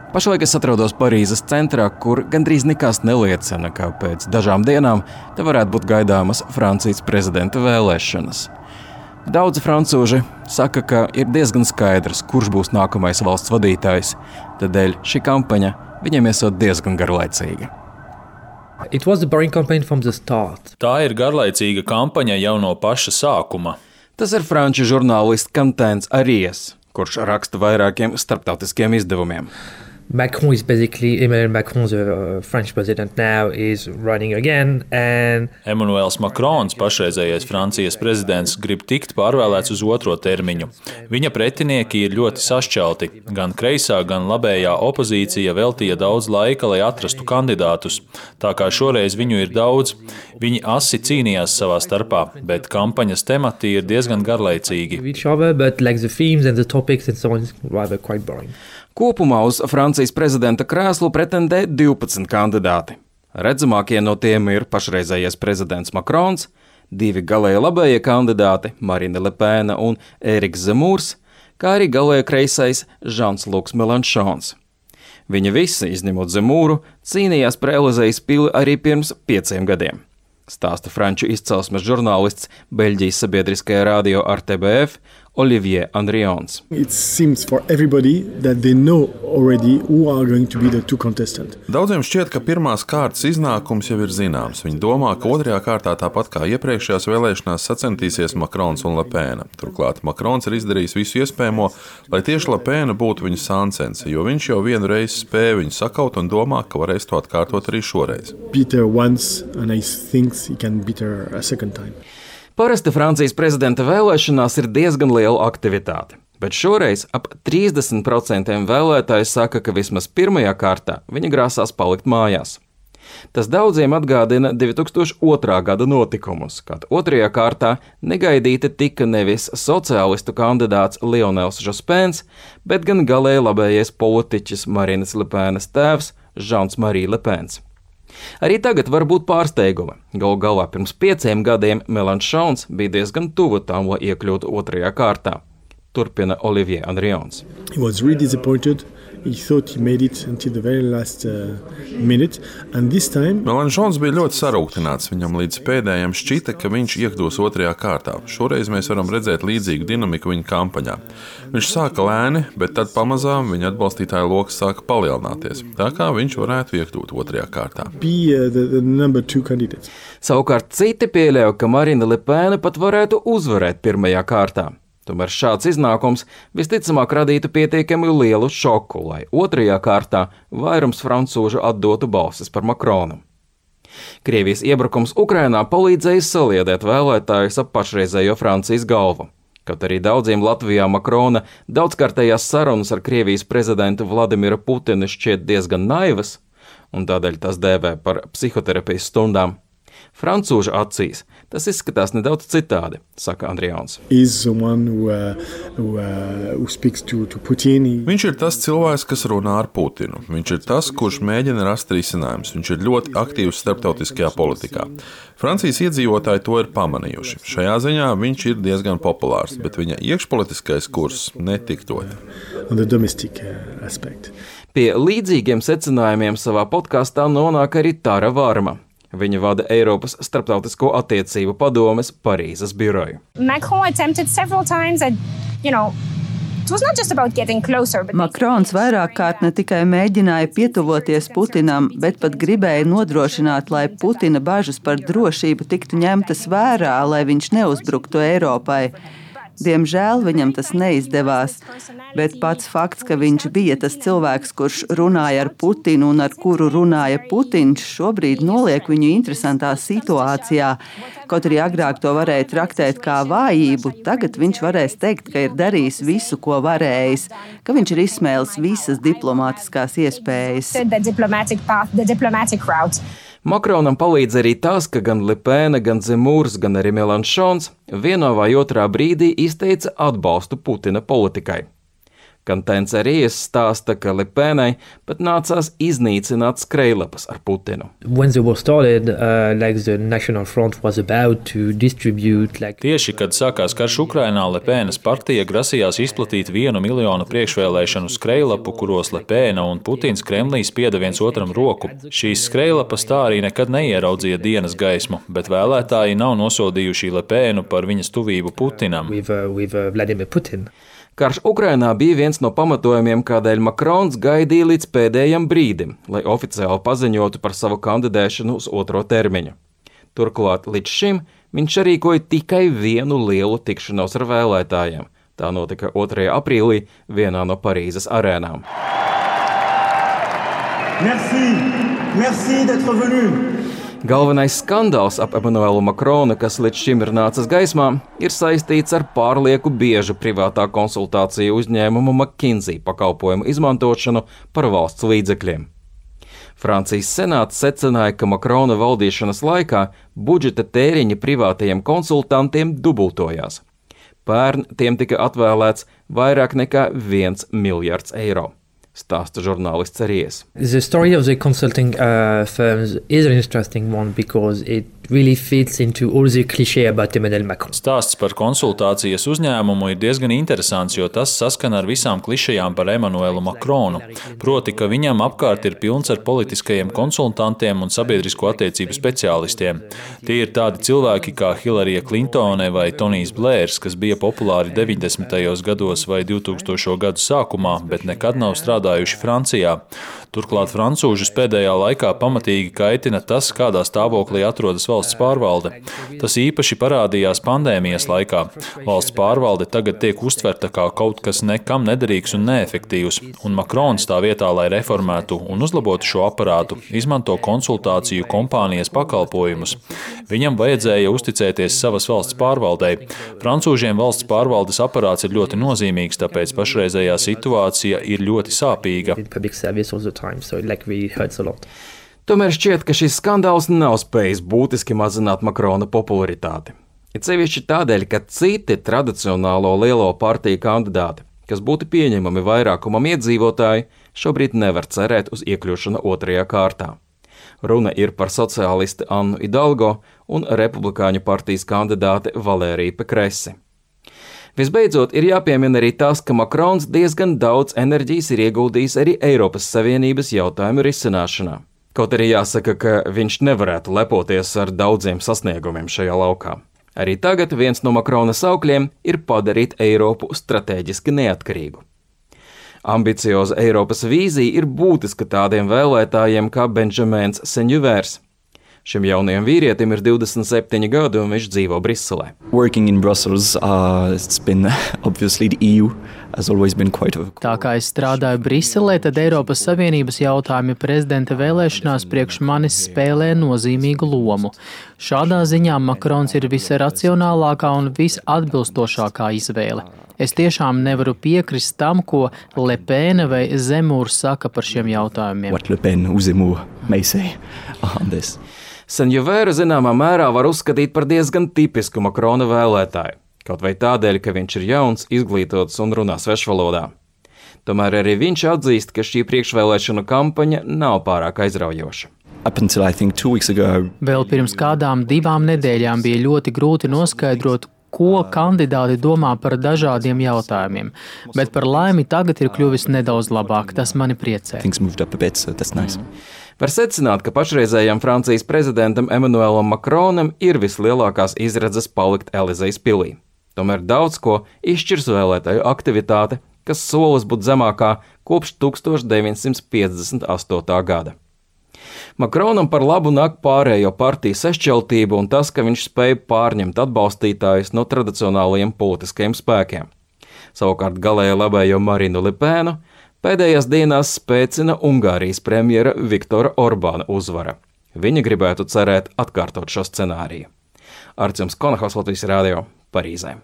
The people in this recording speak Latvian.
Pašlaik es atrodos Parīzes centrā, kur gandrīz nekas neliecina, ka pēc dažām dienām te varētu būt gaidāmas Francijas prezidenta vēlēšanas. Daudzi francūži saka, ka ir diezgan skaidrs, kurš būs nākamais valsts vadītājs, tādēļ šī kampaņa viņiem esot diezgan garlaicīga. Tā ir garlaicīga kampaņa jau no paša sākuma. Tas ir franču žurnālists Quentin Aries, kurš raksta vairākiem starptautiskiem izdevumiem. Emmanuel Macron, the French president now, is running again, and Emmanuels Macrons, pašreizējais Francijas prezidents, grib tikt pārvēlēts uz otro termiņu. Viņa pretinieki ir ļoti sašķelti. Gan kreisā, gan labējā opozīcija veltīja daudz laika, lai atrastu kandidātus. Tā kā šoreiz viņu ir daudz, viņi asi cīnījās savā starpā, bet kampaņas temati ir diezgan garlaicīgi. Kopumā uz Francijas prezidenta krēslu pretendē 12 kandidāti. Redzamākie no tiem ir pašreizējais prezidents Macrons, 2 galēji labējie kandidāti Marine Le Pen un Ériks Zemūrs, kā arī galēji kreisais Jean-Luc Mélenchons. Viņi visi, izņemot Zemūru, cīnījās par Elizejas pili arī pirms 5 gadiem. Stāsta franču izcelsmes žurnālists Beļģijas sabiedriskajā radio RTBF Olivier Andrions. Daudziem šķiet, ka pirmās kārtas iznākums jau ir zināms. Viņi domā, ka otrajā kārtā tāpat kā iepriekšējās vēlēšanās sacentīsies Macrons un Le Pen. Turklāt Macrons ir izdarījis visu iespējamo, lai tieši Le Pen būtu viņa sāncens, jo viņš jau vienu reizi spēja viņu sakaut un domā, ka varēs to atkārtot arī šoreiz. Parasti Francijas prezidenta vēlēšanās ir diezgan liela aktivitāte, bet šoreiz ap 30% vēlētāji saka, ka vismaz pirmajā kārtā viņi grasās palikt mājās. Tas daudziem atgādina 2002. gada notikumus, kad otrajā kārtā negaidīti tika nevis sociālistu kandidāts Lionels Jospins, bet gan galēji labējais politiķis Marines Le Penas tēvs Jean-Marie Le Pens. Arī tagad var būt pārsteigumi. Galu galā pirms 5 gadiem Mélenchons bija diezgan tuvu tam, lai iekļūtu otrajā kārtā. Turpina Olivier Andrions. Mélenchons bija ļoti sarūktināts. Viņam līdz pēdējiem šķita, ka viņš iekļūs otrajā kārtā. Šoreiz mēs varam redzēt līdzīgu dinamiku viņa kampaņā. Viņš sāka lēni, bet tad pamazām viņa atbalstītāju loks sāka palielināties. Tā kā viņš varētu iekļūt otrajā kārtā. Savukārt citi pieļauj, ka Marine Le Pen pat varētu uzvarēt pirmajā kārtā. Tomēr šāds iznākums visticamāk radītu pietiekami lielu šoku, lai otrajā kārtā vairums francūžu atdotu balsis par Macronu. Krievijas iebrukums Ukrainā palīdzēja saliedēt vēlētājus ap pašreizējo Francijas galvu. Kaut arī daudziem Latvijā Macrona daudzkārtējās sarunas ar Krievijas prezidentu Vladimiru Putinu šķiet diezgan naivas, un tādēļ tās dēvē par psihoterapijas stundām. Francūžu acīs tas izskatās nedaudz citādi, saka Andrions. Viņš ir tas cilvēks, kas runā ar Putinu. Viņš ir tas, kurš mēģina rast risinājumus. Viņš ir ļoti aktīvs starptautiskajā politikā. Francijas iedzīvotāji to ir pamanījuši. Šajā ziņā viņš ir diezgan populārs, bet viņa iekšpolitiskais kurs netiktot. Pie līdzīgiem secinājumiem savā podkastā nonāk arī Tara Varma. Viņa vada Eiropas starptautisko attiecību padomes Parīzes biroju. Macrons vairāk kārt ne tikai mēģināja pietuvoties Putinam, bet pat gribēja nodrošināt, lai Putina bažas par drošību tiktu ņemtas vērā, lai viņš neuzbruktu Eiropai. Diemžēl viņam tas neizdevās, bet pats fakts, ka viņš bija tas cilvēks, kurš runāja ar Putinu un ar kuru runāja Putins, šobrīd noliek viņu interesantā situācijā. Kaut arī agrāk to varēja traktēt kā vājību, tagad viņš varēs teikt, ka ir darījis visu, ko varējis, ka viņš ir izsmēlis visas diplomātiskās iespējas. Macronam palīdz arī tas, ka gan Le Pen, gan Zemūrs, gan arī Mélenchons vienā vai otrā brīdī izteica atbalstu Putina politikai. Gan Tencerijas stāsta, ka Lepenai pat nācās iznīcināt skrejlapas ar Putinu. When the war started, the National Front was about to distribute Tieši, kad sākās karš Ukrainā, Lepenas partija grasījās izplatīt 1 miljonu priekšvēlēšanu skrejlapu, kuros Lepena un Putins Kremlī spieda viens otram roku. Šīs skrejlapas tā arī nekad neieraudzīja dienas gaismu, bet vēlētāji nav nosodījuši Lepenu par viņas tuvību Putinam. with Vladimir Putin. Karš Ukrainā bija viens no pamatojumiem, kādēļ Makrons gaidīja līdz pēdējam brīdim, lai oficiāli paziņotu par savu kandidēšanu uz otro termiņu. Turklāt līdz šim viņš rīkoja tikai vienu lielu tikšanos ar vēlētājiem. Tā notika 2. aprīlī vienā no Parīzes arēnām. Merci d'être venu. Galvenais skandāls ap Emmanuelu Makronu, kas līdz šim ir nācis gaismā, ir saistīts ar pārlieku biežu privātā konsultāciju uzņēmumu McKinsey pakalpojumu izmantošanu par valsts līdzekļiem. Francijas senāts secināja, ka Makrona valdīšanas laikā budžeta tēriņi privātajiem konsultantiem dubultojās. Pērn tiem tika atvēlēts vairāk nekā 1 miljards eiro. Stāsta žurnālists Ries. The story of the consulting firms is an interesting one because it really fits into all the cliché about Emmanuel Macron. Stāsts par konsultācijas uzņēmumu ir diezgan interesants, jo tas saskana ar visām klišejām par Emmanuelu Macronu. Proti, ka viņam apkārt ir pilns ar politiskajiem konsultantiem un sabiedrisko attiecību speciālistiem. Tie ir tādi cilvēki kā Hillary Clintone vai Tonijs Blērs, kas bija populāri 90. gados vai 2000. gadu sākumā, bet nekad nav strādājuši Francijā. Turklāt francūžus pēdējā laikā pamatīgi kaitina tas, kādā stāvoklī atrodas valsts pārvalde. Tas īpaši parādījās pandēmijas laikā. Valsts pārvalde tagad tiek uztverta kā kaut kas nekam nederīgs un neefektīvs, un Makrons tā vietā, lai reformētu un uzlabotu šo aparātu, izmanto konsultāciju kompānijas pakalpojumus. Viņam vajadzēja uzticēties savas valsts pārvaldei. Francūžiem valsts pārvaldes aparāts ir ļoti nozīmīgs, tāpēc pašreizējā situācija ir ļoti sāpīga. Tomēr šķiet, ka šis skandāls nav spējis būtiski mazināt Makrona popularitāti. It sevišķi tādēļ, ka citi tradicionālo lielo partiju kandidāti, kas būtu pieņemami vairākumam iedzīvotāji, šobrīd nevar cerēt uz iekļūšanu otrajā kārtā. Runa ir par sociālisti Annu Hidalgo un republikāņu partijas kandidāti Valēriju Pekresi. Visbeidzot, ir jāpiemina arī tas, ka Makrons diezgan daudz enerģijas ir ieguldījis arī Eiropas Savienības jautājumu risināšanā. Kaut arī jāsaka, ka viņš nevarētu lepoties ar daudziem sasniegumiem šajā laukā. Arī tagad viens no Makrona saukļiem ir padarīt Eiropu stratēģiski neatkarīgu. Ambicioza Eiropas vīzija ir būtiska tādiem vēlētājiem kā Benjamins Senjuvers. Šim jaunajam vīrietim ir 27 gadi un viņš dzīvo Briselē. Tā kā es strādāju Briselē, tad Eiropas Savienības jautājumi prezidenta vēlēšanās priekš manis spēlē nozīmīgu lomu. Šādā ziņā Makrons ir visracionālākā un visatbilstošākā izvēle. Es tiešām nevaru piekrist tam, ko Lepena vai Zemūrs saka par šiem jautājumiem. Senjuvēru zināmā mērā var uzskatīt par diezgan tipisku Makrona vēlētāju, kaut vai tādēļ, ka viņš ir jauns, izglītots un runā svešvalodā. Tomēr arī viņš atzīst, ka šī priekšvēlēšanu kampaņa nav pārāk aizraujoša. Vēl pirms kādām 2 nedēļām bija ļoti grūti noskaidrot, ko kandidāti domā par dažādiem jautājumiem, bet par laimi tagad ir kļuvis nedaudz labāk, tas mani priecē. Var secināt, ka pašreizējam Francijas prezidentam Emmanuelam Macronam ir vislielākās izredzes palikt Elizejas pilī. Tomēr daudz ko izšķirs vēlētāju aktivitāte, kas solis būt zemākā kopš 1958. gada. Macronam par labu nāk pārējo partiju sašķeltību un tas, ka viņš spēja pārņemt atbalstītājus no tradicionālajiem politiskajiem spēkiem. Savukārt galēji labējo Marinu Lepenu pēdējās dienās spēcina Ungārijas premjera Viktora Orbāna uzvara. Viņa gribētu cerēt atkārtot šo scenāriju. Artjoms Konahos, Latvijas radio, Parīzē.